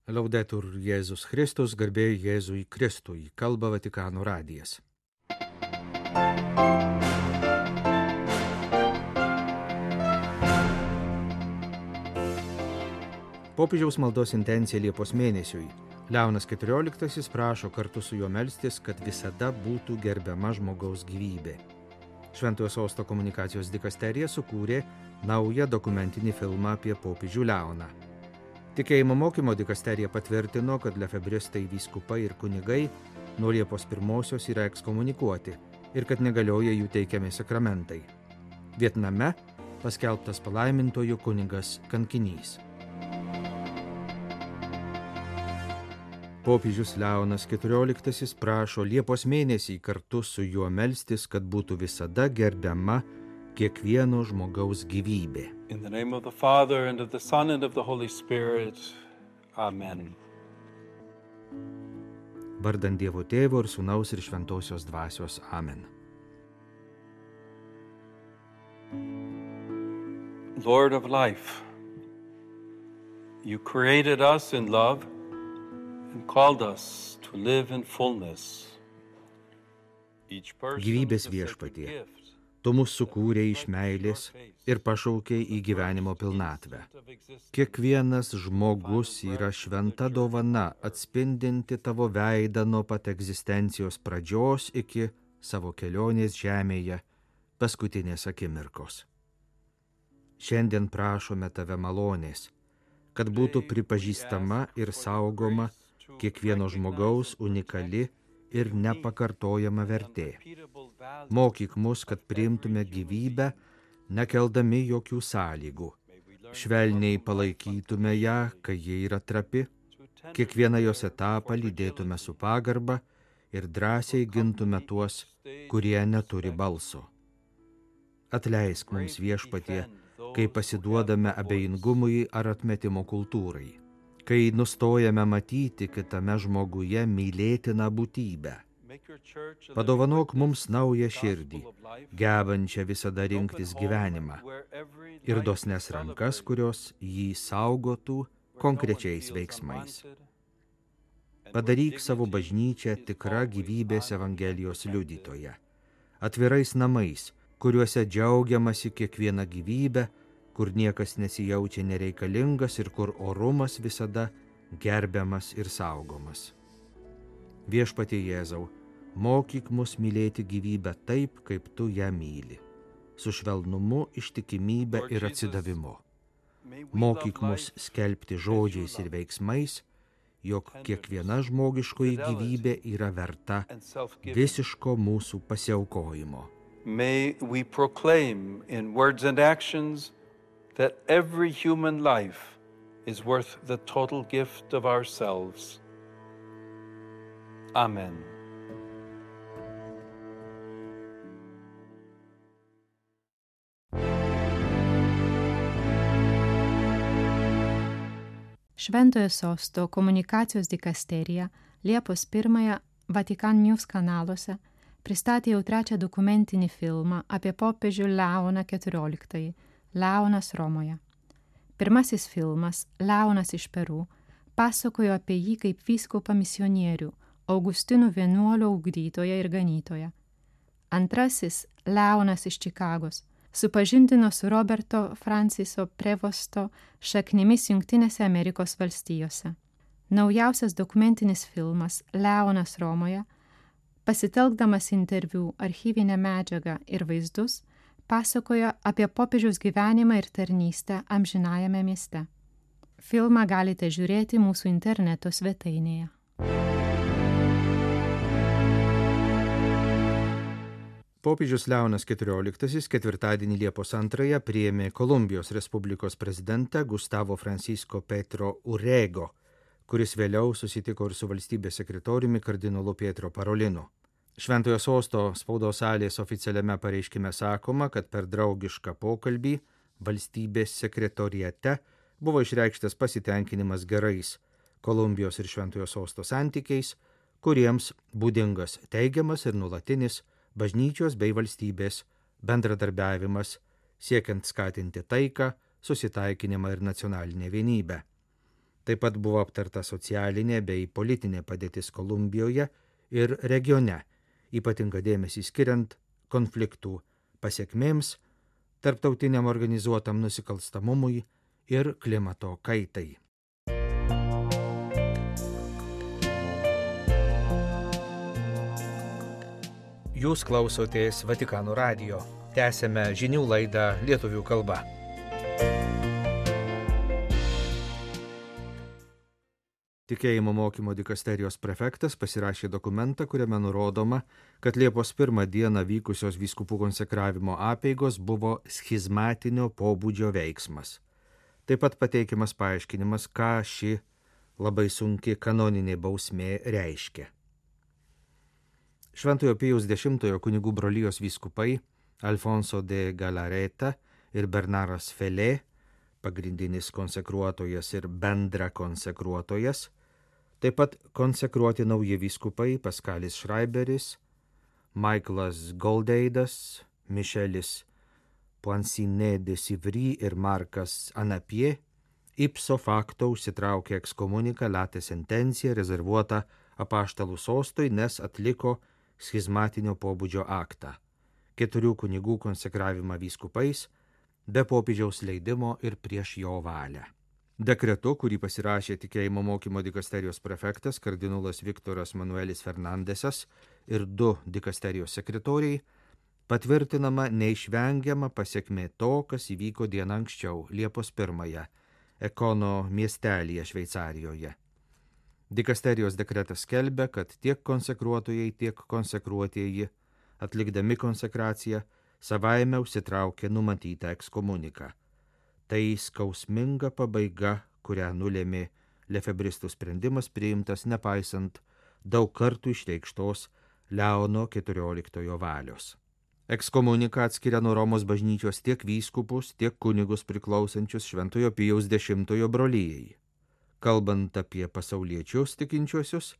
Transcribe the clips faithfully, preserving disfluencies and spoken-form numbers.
Laudetur Jėzus Kristus, garbė Jėzui Kristui, kalba Vatikano radijas. Popiežiaus maldos intencija Liepos mėnesiui. Leonas keturioliktasis prašo kartu su juo melstis, kad visada būtų gerbiama žmogaus gyvybė. Šventojo Sosto komunikacijos dikasterija sukūrė naują dokumentinį filmą apie popiežių Leoną. Tikėjimo mokymo dikasterija patvirtino, kad lefebristai, vyskupai ir kunigai nuo Liepos pirmosios yra ekskomunikuoti ir kad negalioja jų teikiami sakramentai. Vietname paskelbtas palaimintojų kunigas kankinys. Popiežius Leonas keturioliktasis prašo Liepos mėnesį kartu su juo melstis, kad būtų visada gerbiama kiekvieno žmogaus gyvybė. In the name of the Father, and of the Son, and of the Holy Spirit. Amen. Vardant Dievo Tėvo ir Sūnaus ir Šventosios Dvasios. Amen. Lord of life, you created us in love and called us to live in fullness. Each person Gyvybės is a sacred viešpatie, gift. tu mus sukūrei iš meilės ir pašaukei į gyvenimo pilnatvę. Kiekvienas žmogus yra šventa dovana, atspindinti tavo veidą nuo pat egzistencijos pradžios iki savo kelionės žemėje paskutinės akimirkos. Šiandien prašome tave malonės, kad būtų pripažįstama ir saugoma kiekvieno žmogaus unikali ir nepakartojama vertė. Mokyk mus, kad priimtume gyvybę, nekeldami jokių sąlygų. Švelniai palaikytume ją, kai ji yra trapi, kiekvieną jos etapą lydėtume su pagarba ir drąsiai gintume tuos, kurie neturi balso. Atleisk mums, viešpatie, kai pasiduodame abejingumui ar atmetimo kultūrai, kai nustojame matyti kitame žmoguje mylėtiną būtybę. Padovanok mums naują širdį, gebančią visada rinktis gyvenimą, ir dosnes rankas, kurios jį saugotų konkrečiais veiksmais. Padaryk savo bažnyčią tikrą gyvybės Evangelijos liudytoja, atvirais namais, kuriuose džiaugiamasi kiekviena gyvybė, kur niekas nesijaučia nereikalingas ir kur orumas visada gerbiamas ir saugomas. Viešpatie Jėzau, mokyk mus mylėti gyvybę taip, kaip tu ją myli, su švelnumu, ištikimybė ir atsidavimu. Mokyk mus skelbti žodžiais ir veiksmais, jog kiekviena žmogiškoji gyvybė yra verta visiško mūsų pasiaukojimo. May we proclaim in words and actions that every human life is worth the total gift of ourselves. Amen. Šventojo Sosto komunikacijos dikasterija Liepos pirmąją Vatikan News kanaluose pristatė jau trečią dokumentinį filmą apie popiežių Leoną keturioliktąjį, Leonas Romoje. Pirmasis filmas, Leonas iš Peru, pasakojo apie jį kaip vyskupą misionierių, Augustinų vienuolio ugdytoją ir ganytoją. Antrasis, Leonas iš Čikagos, supažindino su Roberto Franciso Prevosto šaknimis Jungtinėse Amerikos valstijose. Naujausias dokumentinis filmas, Leonas Romoje, pasitelkdamas interviu, archyvinę medžiagą ir vaizdus, pasakoja apie popiežiaus gyvenimą ir tarnystę amžinajame mieste. Filmą galite žiūrėti mūsų interneto svetainėje. Popiežius Leonas keturioliktasis ketvirtadienį Liepos antrąją priėmė Kolumbijos Respublikos prezidentą Gustavo Francisco Petro Urrego, kuris vėliau susitiko ir su valstybės sekretoriumi kardinolu Pietro Parolinu. Šventojo Sosto spaudos salės oficialiame pareiškime sakoma, kad per draugišką pokalbį valstybės sekretoriate buvo išreikštas pasitenkinimas gerais Kolumbijos ir Šventojo Sosto santykiais, kuriems būdingas teigiamas ir nuolatinis bažnyčios bei valstybės bendradarbiavimas, siekiant skatinti taiką, susitaikinimą ir nacionalinę vienybę. Taip pat buvo aptarta socialinė bei politinė padėtis Kolumbijoje ir regione, ypatinga dėmesį skiriant konfliktų pasiekmėms, tarptautiniam organizuotam nusikalstamumui ir klimato kaitai. Jūs klausotės Vatikano radijo. Tęsėme žinių laidą lietuvių kalba. Tikėjimo mokymo dikasterijos prefektas pasirašė dokumentą, kuriame nurodoma, kad Liepos pirmą dieną vykusios vyskupų konsekravimo apeigos buvo schizmatinio pobūdžio veiksmas. Taip pat pateikiamas paaiškinimas, ką ši labai sunki kanoninė bausmė reiškia. Šventojo Pijaus dešimtojo kunigų brolijos vyskupai Alfonso de Galareta ir Bernaras Felė, pagrindinis konsekruotojas ir bendra konsekruotojas, taip pat konsekruoti nauji vyskupai Paskalis Šraiberis, Michaelas Goldeidas, Mišelis Poinsinet de Sivry ir Markas Anapie, ipso facto užsitraukė ekskomuniką late sentenciją rezervuotą apaštalų sostui, nes atliko schizmatinio pobūdžio aktą, keturių kunigų konsekravimą vyskupais, be popiežiaus leidimo ir prieš jo valią. Dekretu, kurį pasirašė tikėjimo mokymo dikasterijos prefektas kardinolas Viktoras Manuelis Fernandesas ir du dikasterijos sekretoriai, patvirtinama neišvengiama pasiekmė to, kas įvyko dieną anksčiau, Liepos pirmąją, Ekono miestelyje Šveicarijoje. Dikasterijos dekretas skelbia, kad tiek konsekruotojai, tiek konsekruotieji, atlikdami konsekraciją, savaime užsitraukė numatytą ekskomuniką. Tai skausminga pabaiga, kurią nulėmė lefebristų sprendimas priimtas nepaisant daug kartų išreikštos Leono keturioliktojo valios. Ekskomunika atskiria nuo Romos bažnyčios tiek vyskupus, tiek kunigus priklausančius Šventojo Pijaus dešimtojo brolijai. Kalbant apie pasauliečius tikinčiuosius,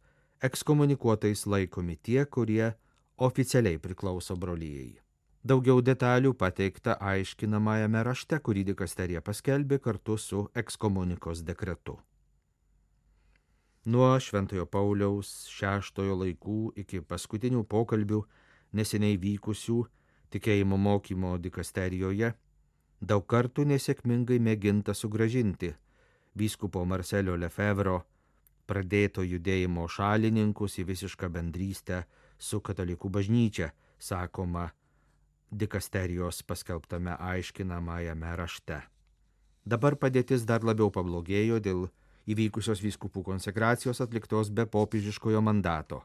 ekskomunikuotais laikomi tie, kurie oficialiai priklauso brolijai. Daugiau detalių pateikta aiškinamajame rašte, kurį dikasterija paskelbė kartu su ekskomunikos dekretu. Nuo Šventojo Pauliaus šeštojo laikų iki paskutinių pokalbių neseniai vykusių tikėjimo mokymo dikasterijoje daug kartų nesėkmingai mėginta sugrąžinti vyskupo Marcelio Lefevro pradėto judėjimo šalininkus į visišką bendrystę su katalikų bažnyčia, sakoma dikasterijos paskelbtame aiškinamajame rašte. Dabar padėtis dar labiau pablogėjo dėl įvykusios vyskupų konsekracijos atliktos be popiežiškojo mandato,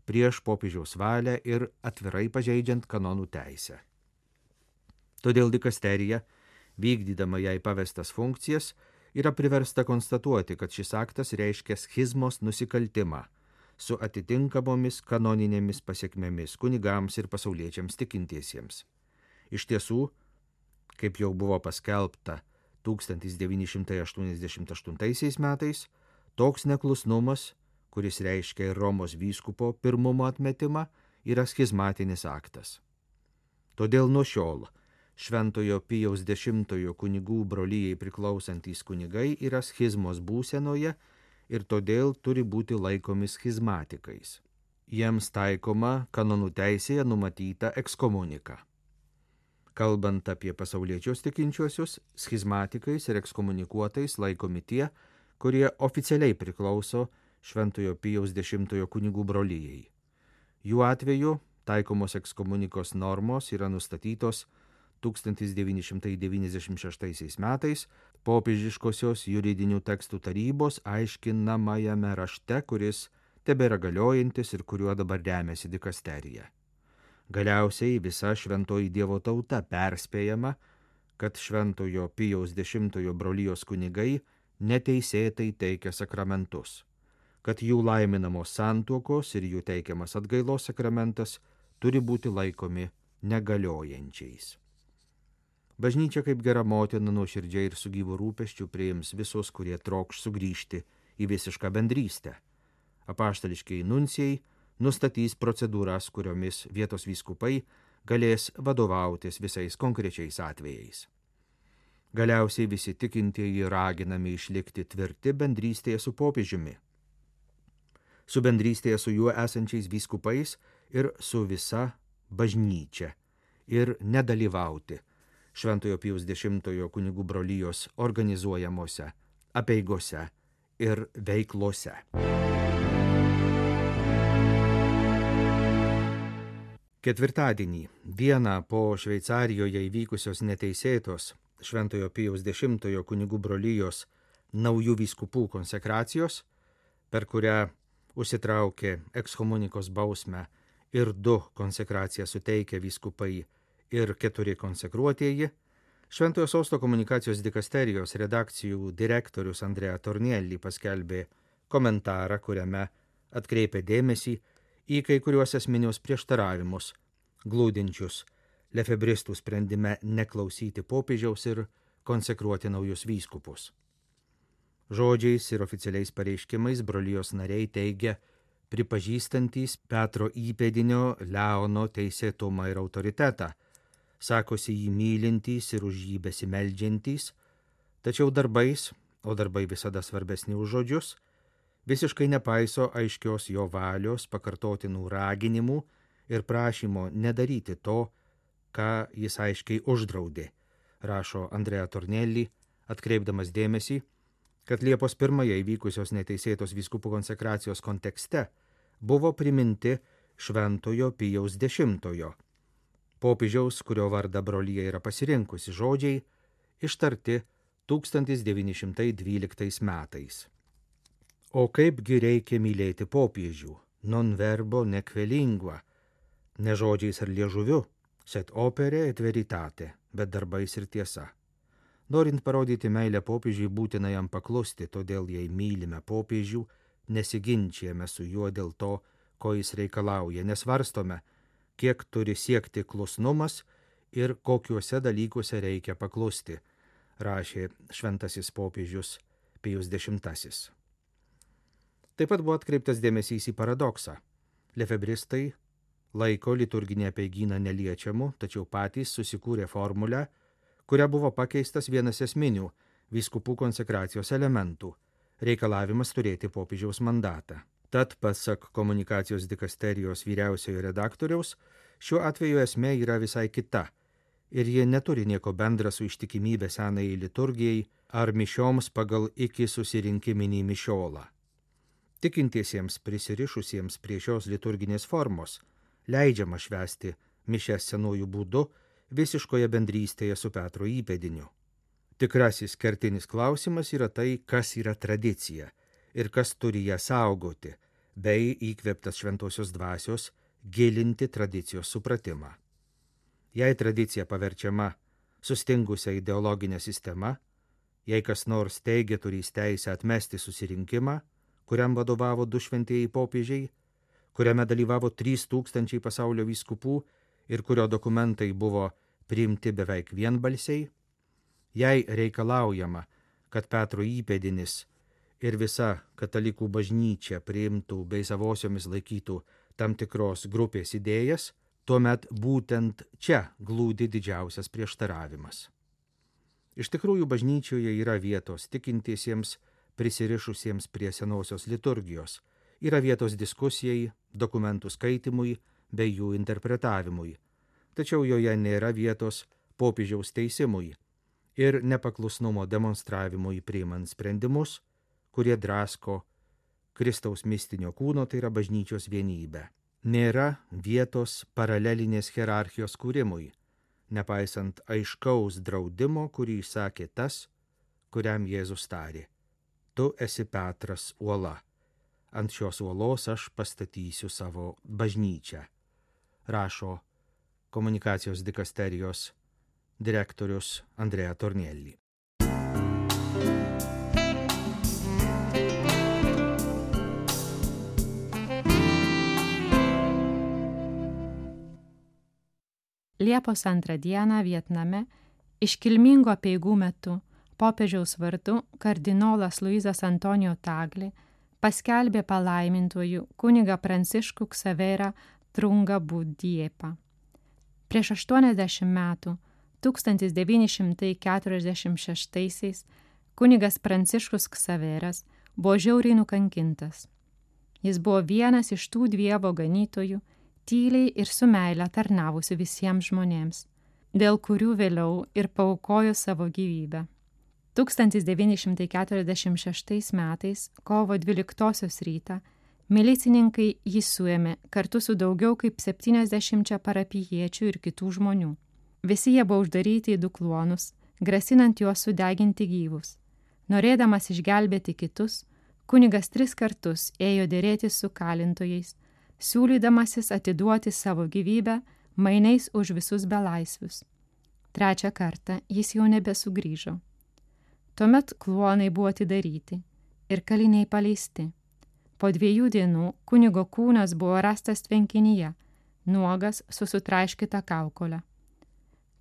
prieš popiežiaus valią ir atvirai pažeidžiant kanonų teisę. Todėl dikasterija, vykdydama jai pavestas funkcijas, yra priversta konstatuoti, kad šis aktas reiškia schizmos nusikaltimą su atitinkamomis kanoninėmis pasiekmėmis kunigams ir pasauliečiams tikintiesiems. Iš tiesų, kaip jau buvo paskelbta tūkstantis devyni šimtai aštuoniasdešimt aštuntaisiais metais, toks neklusnumas, kuris reiškia ir Romos vyskupo pirmumo atmetimą, yra schizmatinis aktas. Todėl nuo šiol Šventojo Pijaus dešimtojo kunigų brolijai priklausantys kunigai yra schizmos būsenoje ir todėl turi būti laikomi schizmatikais. Jiems taikoma kanonų teisėje numatyta ekskomunika. Kalbant apie pasauliečius tikinčiuosius, schizmatikais ir ekskomunikuotais laikomi tie, kurie oficialiai priklauso Šventojo Pijaus dešimtojo kunigų brolijai. Jų atveju taikomos ekskomunikos normos yra nustatytos tūkstantis devyni šimtai devyniasdešimt šeštaisiais metais popiežiškosios juridinių tekstų tarybos aiškinamajame rašte, kuris tebėra galiojantis ir kuriuo dabar remiasi dikasterija. Galiausiai visa šventoji Dievo tauta perspėjama, kad Šventojo Pijaus dešimtojo brolijos kunigai neteisėtai teikia sakramentus, kad jų laiminamos santuokos ir jų teikiamas atgailos sakramentas turi būti laikomi negaliojančiais. Bažnyčia kaip gera motina nuoširdžiai ir su gyvu rūpesčiu priims visus, kurie trokš sugrįžti į visišką bendrystę. Apaštališkiai nuncijai nustatys procedūras, kuriomis vietos vyskupai galės vadovautis visais konkrečiais atvejais. Galiausiai visi tikintieji raginami išlikti tvirti bendrystėje su popiežiumi, su bendrystėje su juo esančiais vyskupais ir su visa bažnyčia ir nedalyvauti Šventojo Pijaus dešimtojo kunigų brolijos organizuojamuose apeigose ir veiklose. Ketvirtadienį, dieną po Šveicarijoje įvykusios neteisėtos Šventojo Pijaus dešimtojo kunigų brolijos naujų vyskupų konsekracijos, per kurią užsitraukė ekskomunikos bausmę ir du konsekraciją suteikę vyskupai ir keturi konsekruotieji, Šventojo Sosto komunikacijos dikasterijos redakcijų direktorius Andrea Tornielli paskelbė komentarą, kuriame atkreipė dėmesį į kai kuriuos esminius prieštaravimus, glūdinčius lefebristų sprendime neklausyti popiežiaus ir konsekruoti naujus vyskupus. Žodžiais ir oficialiais pareiškimais brolijos nariai teigia pripažįstantys Petro įpėdinio Leono teisėtumą ir autoritetą, sakosi jį mylintys ir už jį besimeldžiantys, tačiau darbais, o darbai visada svarbesni už žodžius, visiškai nepaiso aiškios jo valios, pakartotinų raginimų ir prašymo nedaryti to, ką jis aiškiai uždraudė, rašo Andrea Tornielli, atkreipdamas dėmesį, kad Liepos pirmąją įvykusios neteisėtos vyskupų konsekracijos kontekste buvo priminti Šventojo Pijaus dešimtojo, popiežiaus, kurio vardą brolija yra pasirinkusi, žodžiai, ištarti tūkstantis devyni šimtai dvyliktais metais. O kaipgi reikia mylėti popiežių, non verbo nec lingua, ne žodžiais ar liežuviu, set opere et veritate, bet darbais ir tiesa. Norint parodyti meilę popiežiui, būtina jam paklusti, todėl jei mylime popiežių, nesiginčijame su juo dėl to, ko jis reikalauja, nesvarstome, kiek turi siekti klusnumas ir kokiuose dalykuose reikia paklusti, rašė šventasis popiežius Pijus dešimtasis. Taip pat buvo atkreiptas dėmesys į paradoksą. Lefebristai laiko liturginį apeigyną neliečiamu, tačiau patys susikūrė formulę, kuria buvo pakeistas vienas esminių vyskupų konsekracijos elementų – reikalavimas turėti popiežiaus mandatą. Tad, pasak komunikacijos dikasterijos vyriausiojo redaktoriaus, šiuo atveju esmė yra visai kita ir jie neturi nieko bendra su ištikimybė senajai liturgijai ar mišioms pagal iki susirinkiminį mišiolą. Tikintiesiems prisirišusiems prie šios liturginės formos leidžiama švęsti mišias senųjų būdu visiškoje bendrystėje su Petro įpėdiniu. Tikrasis kertinis klausimas yra tai, kas yra tradicija ir kas turi ją saugoti, bei įkvėptas šventosios dvasios gilinti tradicijos supratimą. Jei tradicija paverčiama sustingusią ideologinę sistemą, jei kas nors teigia turys teisę atmesti susirinkimą, kuriam vadovavo du šventieji popiežiai, kuriame dalyvavo trys tūkstančiai pasaulio vyskupų ir kurio dokumentai buvo priimti beveik vienbalsiai, jei reikalaujama, kad Petro įpėdinis ir visa katalikų bažnyčia priimtų bei savosiomis laikytų tam tikros grupės idėjas, tuomet būtent čia glūdi didžiausias prieštaravimas. Iš tikrųjų, bažnyčioje yra vietos tikintiesiems, prisirišusiems prie senosios liturgijos, yra vietos diskusijai, dokumentų skaitimui bei jų interpretavimui, tačiau joje nėra vietos popiežiaus teisimui ir nepaklusnumo demonstravimui priimant sprendimus, kurie drasko Kristaus mistinio kūno, tai yra bažnyčios vienybę. Nėra vietos paralelinės hierarchijos kūrimui, nepaisant aiškaus draudimo, kurį išsakė tas, kuriam Jėzus tarė: tu esi Petras uola, ant šios uolos aš pastatysiu savo bažnyčią, rašo komunikacijos dikasterijos direktorius Andrea Tornielli. Liepos antrą dieną Vietname iškilmingo apeigų metu popiežiaus vardu kardinolas Luizas Antonijo Tagle paskelbė palaimintuoju kunigą Pranciškų Ksaverą Trungą Budiepą. Prieš aštuoniasdešimt metų tūkstantis devyni šimtai keturiasdešimt šeštaisiais kunigas Pranciškus Ksaveras buvo žiauriai nukankintas. Jis buvo vienas iš tų Dievo ganytojų, tyliai ir su meile tarnavusi visiems žmonėms, dėl kurių vėliau ir paaukojo savo gyvybę. tūkstantis devyni šimtai keturiasdešimt šeštais metais, kovo dvyliktosios rytą, milicininkai jį suėmė kartu su daugiau kaip septyniasdešimčia parapijiečių ir kitų žmonių. Visi jie buvo uždaryti į du kluonus, grasinant juos sudeginti gyvus. Norėdamas išgelbėti kitus, kunigas tris kartus ėjo dėrėtis su kalintojais, siūlydamasis atiduoti savo gyvybę mainais už visus belaisvius. Trečią kartą jis jau nebesugrįžo. Tuomet kluonai buvo atidaryti ir kaliniai paleisti. Po dviejų dienų kunigo kūnas buvo rastas tvenkinyje, nuogas su sutraiškyta kaukolė.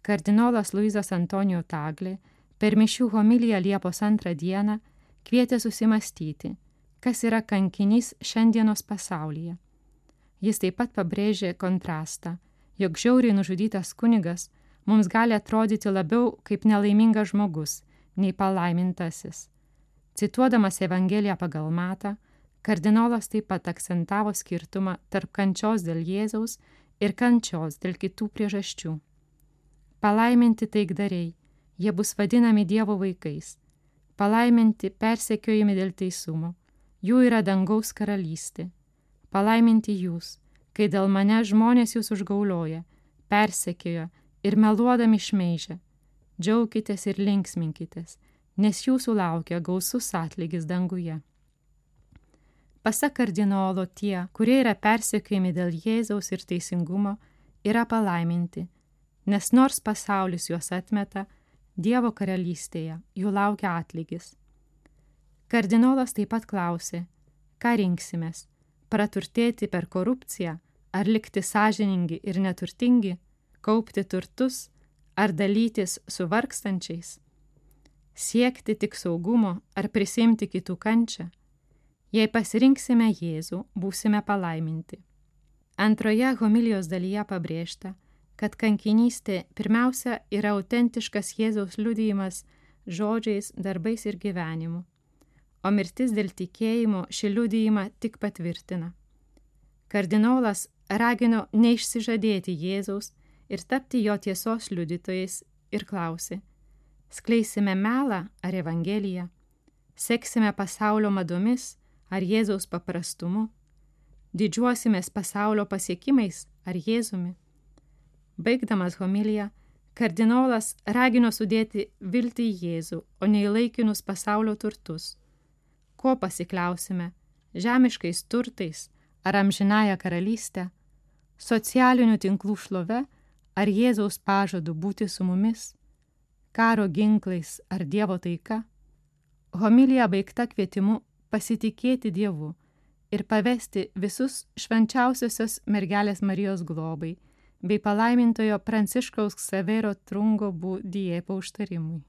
Kardinolas Luizas Antonijo Taglė per mišių homiliją Liepos antrą dieną kvietė susimastyti, kas yra kankinys šiandienos pasaulyje. Jis taip pat pabrėžė kontrastą, jog žiauriai nužudytas kunigas mums gali atrodyti labiau kaip nelaimingas žmogus, nei palaimintasis. Cituodamas Evangeliją pagal Matą, kardinolas taip pat akcentavo skirtumą tarp kančios dėl Jėzaus ir kančios dėl kitų priežasčių. Palaiminti taikdariai, jie bus vadinami Dievo vaikais. Palaiminti persekiojami dėl teisumo, jų yra dangaus karalystė. Palaiminti jūs, kai dėl mane žmonės jūs užgaulioja, persekioja ir meluodami šmeižia. Džiaukitės ir linksminkitės, nes jūsų laukia gausus atlygis danguje. Pasak kardinolo tie, kurie yra persekiojami dėl Jėzaus ir teisingumo, yra palaiminti, nes nors pasaulis juos atmeta, Dievo karalystėje jų laukia atlygis. Kardinolas taip pat klausė, ką rinksimės, praturtėti per korupciją, ar likti sąžiningi ir neturtingi, kaupti turtus, ar dalytis su vargstančiais, siekti tik saugumo ar prisimti kitų kančią. Jei pasirinksime Jėzų, būsime palaiminti. Antroje homilijos dalyje pabrėžta, kad kankinystė pirmiausia yra autentiškas Jėzaus liudijimas žodžiais, darbais ir gyvenimu, o mirtis dėl tikėjimo šį liudijimą tik patvirtina. Kardinolas ragino neišsižadėti Jėzaus ir tapti jo tiesos liudytojais ir klausė, skleisime melą ar Evangeliją, seksime pasaulio madomis ar Jėzaus paprastumu, didžiuosimės pasaulio pasiekimais ar Jėzumi. Baigdamas homiliją, kardinolas ragino sudėti viltį į Jėzų, o ne į laikinus pasaulio turtus. Ko pasikliausime, žemiškais turtais ar amžinąją karalystę, socialinių tinklų šlove ar Jėzaus pažadu būti su mumis, karo ginklais ar Dievo taika? Homilija baigta kvietimu pasitikėti Dievu ir pavesti visus švenčiausiosios mergelės Marijos globai bei palaimintojo Pranciškaus Ksavero Trungo bu Diepo užtarimui.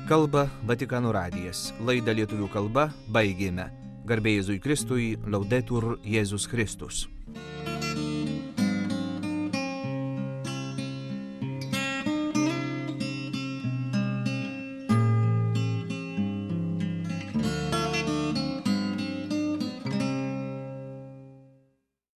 Kalba Vatikano radijas. Laidą lietuvių kalba baigėme. Garbė Jėzui Kristui, Laudetur Jėzus Kristus.